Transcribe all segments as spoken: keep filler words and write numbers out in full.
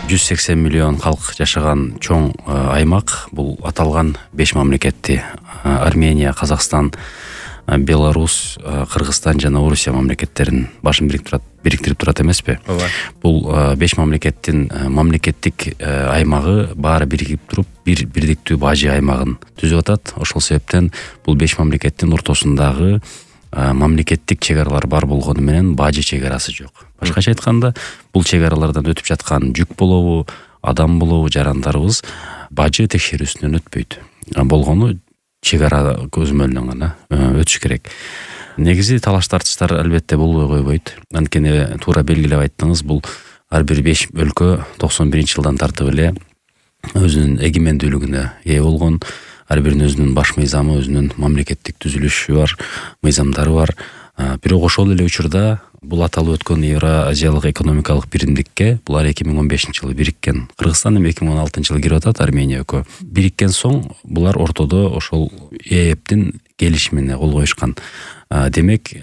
жүз сексен миллион калк жашаган чоң аймак. Бул аталган беш мамлекетти Армения, Казакстан, Беларусь, Кыргызстан жана Орусия мамлекеттерин башын бириктирип бириктирип турат эмеспи? Ооба. Бул беш мамлекеттин мамлекеттик аймагы баары биригип туруп бир бирдиктүү бажы аймагын түзүп атат. Ошол себептен бул беш мамлекеттин ортосундагы мамлекеттик чек аралар бар болгону менен бажы чек арасы жок. Башкача айтканда, бул чек аралардан өтүп жаткан жүк болобу, адам болобу, жарандарыбыз бажы текшерүүсүнөн өтпөйт. Болгону чек ара көзөмөлүнөн гана өтүш керек. Негизи талаш тартыштар албетте болбой койбойт. Анткени туура белгилеп айттыңыз, бул ар бир беш өлкө токсон биринчи жылдан тартып эле өзүнүн эгемендүүлүгүнө ээ болгон. Ар биринин өзүнүн баш мыйзамы, өзүнүн мамлекеттик түзүлүшү бар, мыйзамдары бар. Бирок ошол эле учурда бул аталып өткөн Евразиялык экономикалык биримдикке булар эки миң он бешинчи жылы бириккен. Кыргызстан эми эки миң он алтынчы жылы кирип атат, Армения экөө. Бириккен соң булар ортодо ошол ЭЭПтин келишимине кол коюшкан. Демек,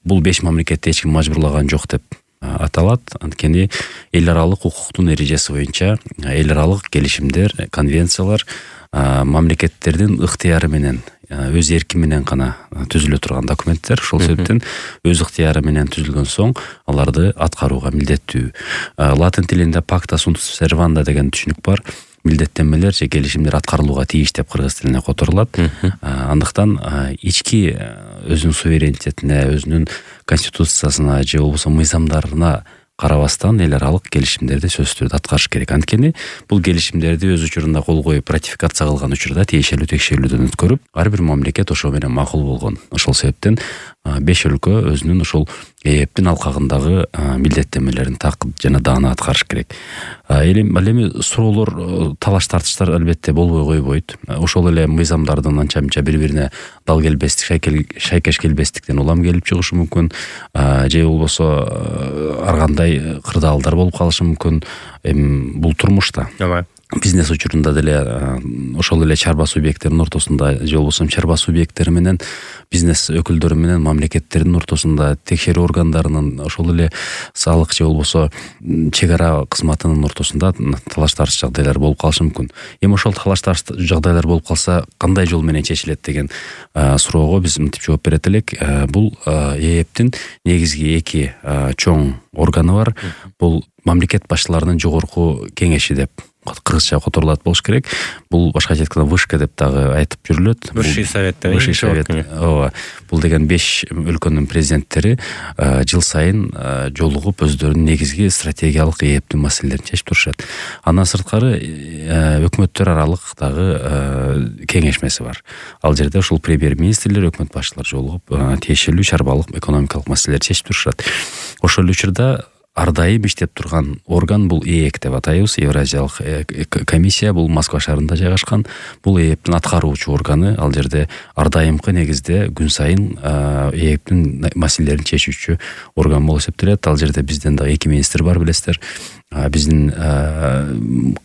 бул беш мамлекетти эч ким мажбурлаган жок деп аталат. Анткени эл аралык укуктун эрежеси боюнча эл аралык келишимдер, конвенциялар мамлекеттердин ыктыяры менен, өз эрки менен гана түзүлө турган документтер. Ошол себептен өз ыктыяры менен түзүлгөн соң аларды аткарууга милдеттүү. Латин тилинде pacta sunt servanda деген түшүнүк бар. Милдеттенмелер же келишимдер аткарылууга тийиш деп кыргыз тилине которулат. Андыктан ички өзүнүн суверенитетине, өзүнүн конституциясына же болбосо мыйзамдарына карабастан эл аралык келишимдерди сөзсүз түрдө аткарыш керек. Анткени бул келишимдерди өз учурунда кол коюп ратификация кылган учурда тиешелүү текшерүүлөрдөн өткөрүп, ар бир мамлекет ошо менен макул болгон. Ошол себептен беш өлкө өзүнүн ошол ЭЭПтин алкагындагы милдеттенмелерин так жана даана аткарыш керек. Элем ал эми суроолор, талаш тартыштар албетте болбой койбойт. Ошол эле мыйзамдардын анча мынча бири-бирине дал келбестик, шайкеш келбестиктен улам келип чыгышы мүмкүн. Же болбосо ар кандай кырдаалдар болуп калышы мүмкүн. Эми бул турмушта. Бизнес учурунда деле ошол эле чарба субъекттеринин ортосунда же болбосо чарба субъекттери менен бизнес өкүлдөрү менен мамлекеттердин ортосунда, текшерүү органдарынын, ошол эле салык же болбосо чек ара кызматынын ортосунда талаш тартыш жагдайлар болуп калышы мүмкүн. Эми ошол талаш тартыш жагдайлар болуп калса, кандай жол менен чечилет деген суроого биз мынтип жооп берет элек. Бул ЭЭПтин негизги эки чоң органы бар. Бул мамлекет башчыларынын жогорку кеңеши деп кыргызча которулат болуш керек. Бул башкача айтканда вышка деп дагы айтып жүрүлөт. Высший совет. Высший совет. Ооба. Бул деген беш өлкөнүн президенттери жыл сайын жолугуп өздөрүнүн негизги стратегиялык ЭЭПтин маселелерин чечип турушат. Андан сырткары өкмөттөр аралык дагы кеңешмеси бар. Ал жерде ушул премьер-министрлер, өкмөт башчылары жолугуп тиешелүү чарбалык экономикалык маселелерди чечип турушат. Ошол учурда ар дайым иштеп турган орган бул ЭЭК деп атайбыз. Евразиялык комиссия бул Москва шаарында жайгашкан. Бул ЭЭПтин аткаруучу органы. Ал жерде ар дайымкы негизде күн сайын ЭЭПтин маселелерин чечүүчү орган болуп эсептелет. Ал жерде бизден дагы эки министр бар, билесиздер. Биздин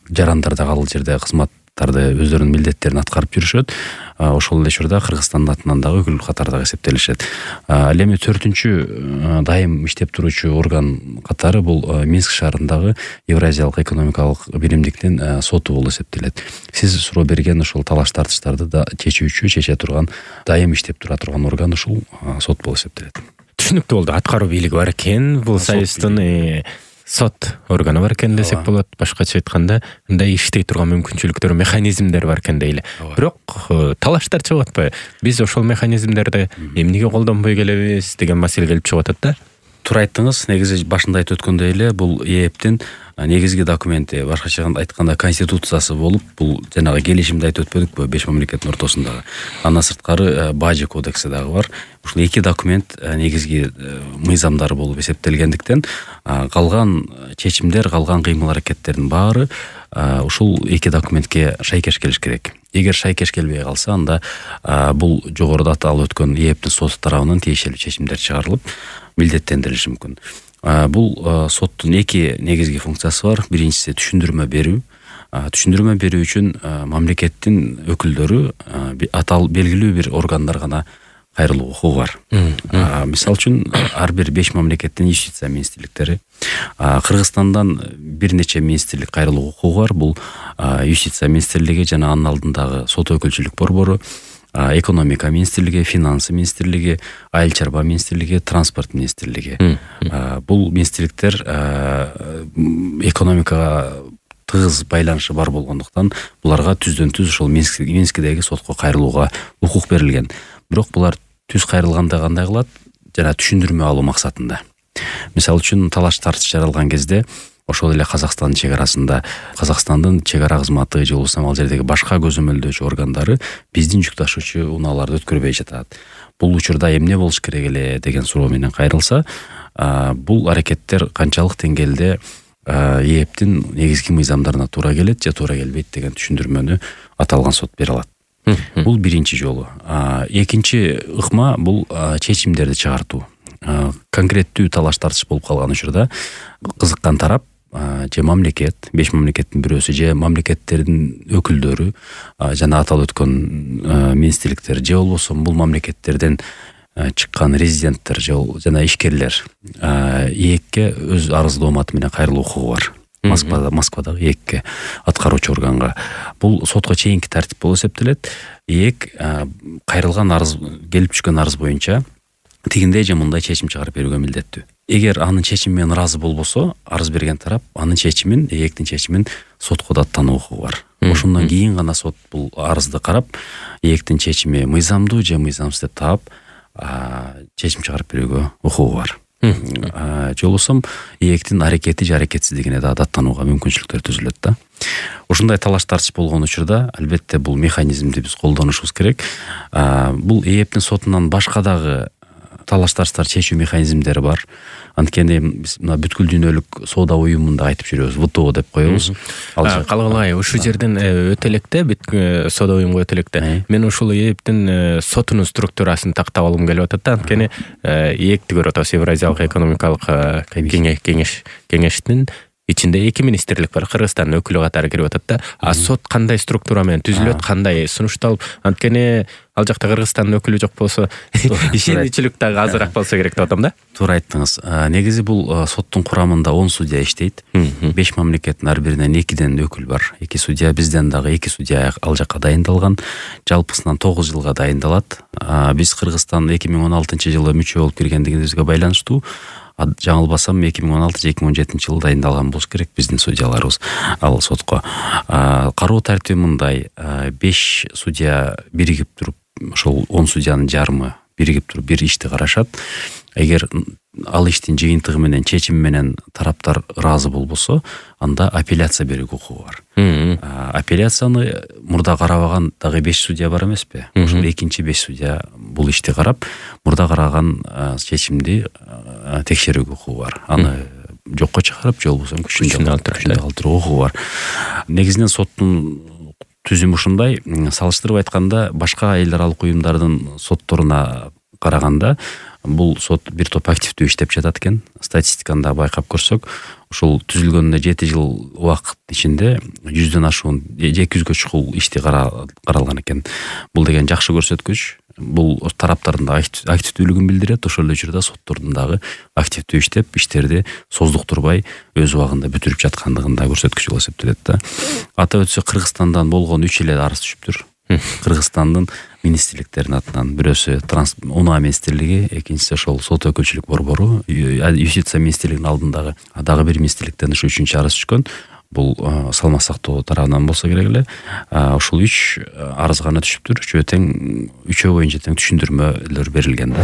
жарандар дагы ал жерде кызматтарды, өздөрүнүн милдеттерин аткарып жүрүшөт. Ошол эле учурда Кыргызстандын атынан дагы өкүл катарында эсептелишет. Ал эми төртүнчү дайым иштеп туруучу орган катары бул Минск шаарындагы Евразиялык экономикалык биримдиктин соту болуп эсептелет. Сиз суроо берген ошол талаш тартыштарды да чечүүчү, чече турган, дайым иштеп тура турган орган ушул сот болуп эсептелет. Түшүнүктүү болду. Аткаруу бийлиги бар экен. Бул союздун сот органы бар экен десек болот. Башкача айтканда, мындай иштей турган мүмкүнчүлүктөр, механизмдер бар экен дейли. Бирок талаштар чыгып атпайбы? Биз ошол механизмдерди эмнеге колдонбой келебиз деген маселе келип чыгып атат да. Туура айттыңыз. Негизи башында айтып өткөндөй эле бул ЭЭПтин негизги документи, башкача айтканда конституциясы болуп, бул жанагы келишимди айтып өтпөдүкпү, беш мамлекеттин ортосундагы. Андан сырткары бажы кодекси дагы бар. Ушул эки документ негизги мыйзамдары болуп эсептелгендиктен, калган чечимдер, калган кыймыл-аракеттердин баары ушул эки документке шайкеш келиш керек. Эгер шайкеш келбей калса, анда бул жогоруда аталып өткөн ЭЭПтин соту тарабынан тиешелүү чечимдер чыгарылып, милдеттендирилиши мүмкүн. Бул соттун эки негизги функциясы бар. Биринчиси түшүндүрмө берүү. Түшүндүрмө берүү үчүн мамлекеттин өкүлдөрү атал белгилүү бир органдар гана кайрылуу укугу бар. Мисалы үчүн ар бир беш мамлекеттин юстиция министрликтери, Кыргызстандан бир нече министрлик кайрылуу укугу бар. Бул юстиция министрлиги жана анын алдындагы сот өкүлчүлүк борбору, экономика министрлиги, финансы министрлиги, айыл чарба министрлиги, транспорт министрлиги. Бул министрликтер экономикага тыгыз байланышы бар болгондуктан буларга түздөн түз ошол Минскидеги сотко кайрылууга укук берилген. Бирок булар түз кайрылганда кандай кылат? Жана түшүндүрмө алуу максатында. Мисалы үчүн талаш тартыш жаралган кезде ошол эле Казакстандын чек арасында Казакстандын чек ара кызматы же болбосо ал жердеги башка көзөмөлдөөчү органдары биздин жүк ташуучу унааларды өткөрбөй жатат. Бул учурда эмне болуш керек эле деген суроо менен кайрылса, бул аракеттер канчалык деңгээлде ээптин негизги мыйзамдарына туура келет же туура келбейт деген түшүндүрмөнү аталган сот бере алат. Бул биринчи жолу. Экинчи ыкма бул чечимдерди чыгартуу. Конкреттүү талаш тартыш болуп калган учурда кызыккан тарап же мамлекет, беш мамлекеттин бирөөсү же мамлекеттердин өкүлдөрү жана аталып өткөн министрликтер же болбосо бул мамлекеттерден чыккан резиденттер жана ишкерлер ээкке өз арыздооматы менен кайрылуу укугу бар. Москвада, Москвадагы ээкке, аткаруучу органга. Бул сотко чейинки тартип болуп эсептелет. ээк кайрылган арыз, келип түшкөн арыз боюнча тигиндей же мындай чечим чыгарып берүүгө милдеттүү. Эгер анын чечими менен ыраазы болбосо, арыз берген тарап анын чечимин, ээктин чечимин сотко даттануу укугу бар. Ошондон кийин гана сот бул арызды карап, ээктин чечими мыйзамдуу же мыйзамсыз деп таап, чечим чыгарып берүүгө укугу бар. Же болбосо ээктин аракети же аракетсиздигине да даттанууга мүмкүнчүлүктөр түзүлөт да. Ушундай талаш тартыш болгон учурда албетте бул механизмди биз колдонушубуз керек. Бул ээптин сотунан башка дагы талаш тартыштар чечүү механизмдери бар. Анткени биз мына бүткүл дүйнөлүк соода уюмунда айтып жүрөбүз, вэ тэ о деп коебуз. Калгылай, ушул жерден өтө электе соода уюмуга өтө электе. Мен ушул ээптин сотунун структурасын тактап алгым келип атат да. Анткени ээкти көрүп атабыз, Евразиялык экономикалык кеңеш кеңештин ичинде эки министрлик бар, Кыргызстандын өкүлү катары кирип атат да. А сот кандай структура менен түзүлөт, кандай сунушталып, анткени ал жакта Кыргызстандын өкүлү жок болсо, ишенимчилик дагы азыраак болсо керек деп атам да. Туура айттыңыз. Негизи бул соттун курамында он судья иштейт. беш мамлекеттин ар биринен экиден өкүл бар. эки судья, бизден дагы эки судья ал жакка дайындалган. Жалпысынан тогуз жылга дайындалат. Биз Кыргызстан эки миң он алтынчы жылы мүчө болуп киргендигибизге байланыштуу жаңылбасам эки миң он алты эки миң он жетинчи жылы дайындалган болуш керек биздин судьяларыбыз ал сотко. Кароо тартиби мындай: беш судья биригип туруп, ошол он судьянын жарымы биригип туруп бир ишти карашат. Эгер ал иштин жыйынтыгы менен, чечими менен тараптар ыраазы болбосо, анда апелляция берүүгө укугу бар. Апелляцияны мурда карабаган дагы беш судья бар эмеспи? Ошол экинчи беш судья бул ишти карап, мурда караган чечимди текшерүүгө укугу бар. Аны жокко чыгарып, же болбосо күчүндө калтырууга укугу бар. Негизинен соттун түзүмү ушундай. Салыштырып айтканда, башка эл аралык уюмдардын сотторуна караганда бул сот бир топ активдүү иштеп жатат экен. Статистиканы да байкап көрсөк, ушул түзүлгөнүнө жети жыл убакыт ичинде жүздөн ашуун, эки жүзгө чукул ишти каралган экен. Бул деген жакшы көрсөткүч. Бул тараптардын да активдүүлүгүн билдирет. Ошол эле учурда соттордун дагы активдүү иштеп, иштерди создуктурбай өз убагында бүтүрүп жаткандыгын да көрсөткүч болуп эсептелет да. Атап өтсөк, Кыргызстандан болгон үч эле арыз түшүптүр. Кыргызстандын министрликтеринин атынан. Бирөөсү унаа министрлиги, экинчиси ошол сот өкүлчүлүк борбору, юстиция министрлигинин алдындагы дагы бир министрликтен ушу үчүнчү арыз түшкөн. Бул салмак сактоо тарабынан болсо керек эле. Ушул үч арыз гана түшүптүр. Үчөө тең, үчөө боюнча тең түшүндүрмөлөр берилген да.